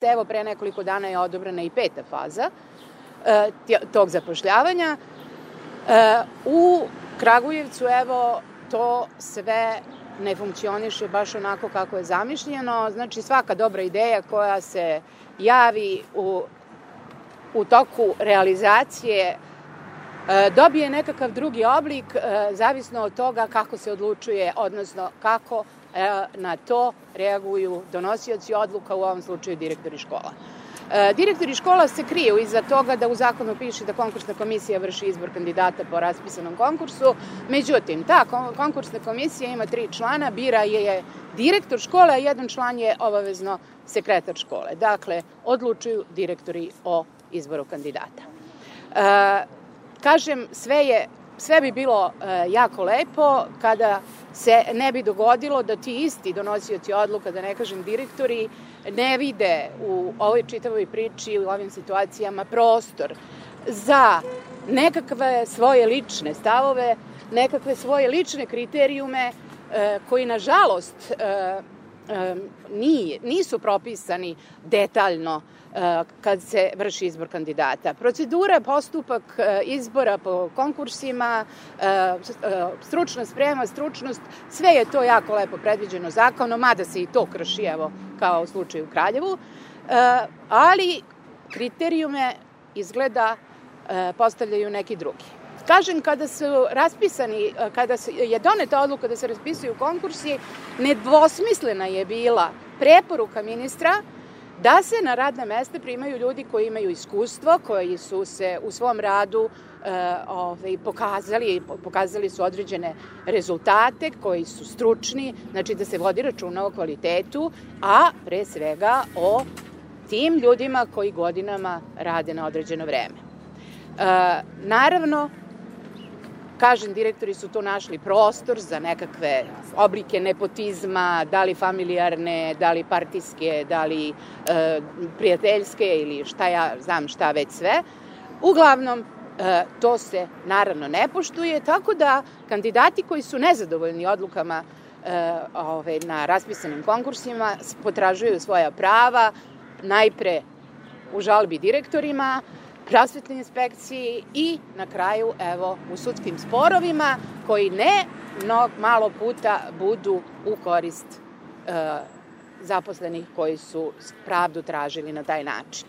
Evo, pre nekoliko dana je odobrena i 5. faza tog zapošljavanja. U Kragujevcu, evo, to sve ne funkcioniše baš onako kako je zamišljeno. Znači, svaka dobra ideja koja se javi u toku realizacije dobije nekakav drugi oblik, zavisno od toga kako se odlučuje, odnosno kako na to reaguju donosioci odluka, u ovom slučaju direktori škola. Direktori škola se kriju iza toga da u zakonu piše da konkursna komisija vrši izbor kandidata po raspisanom konkursu. Međutim, ta konkursna komisija ima 3 člana, bira je direktor škole, a 1 član je obavezno sekretar škole. Dakle, odlučuju direktori o izboru kandidata. Kažem, sve bi bilo jako lepo kada se ne bi dogodilo da ti isti donosioci odluka, da ne kažem direktori, ne vide u ovoj čitavoj priči, u ovim situacijama prostor za nekakve svoje lične stavove, nekakve svoje lične kriterijume koji, nažalost, nisu propisani detaljno kad se vrši izbor kandidata. Procedura, postupak izbora po konkursima, stručna sprema, stručnost, sve je to jako lepo predviđeno zakonom, mada se i to krši, evo, kao u slučaju u Kraljevu, ali kriterijume izgleda postavljaju neki drugi. Kažem, kada je doneta odluka da se raspisuju konkursi, nedvosmislena je bila preporuka ministra da se na radna mesta primaju ljudi koji imaju iskustvo, koji su se u svom radu pokazali su određene rezultate, koji su stručni, znači da se vodi računa o kvalitetu, a pre svega o tim ljudima koji godinama rade na određeno vreme. Naravno, kažem, direktori su tu našli prostor za nekakve oblike nepotizma, da li familijarne, da li partijske, da li prijateljske ili šta već sve. Uglavnom, to se naravno ne poštuje, tako da kandidati koji su nezadovoljni odlukama na raspisanim konkursima potražuju svoja prava, najpre u žalbi direktorima, prosvetnoj inspekciji i na kraju, evo, u sudskim sporovima koji malo puta budu u korist zaposlenih koji su pravdu tražili na taj način.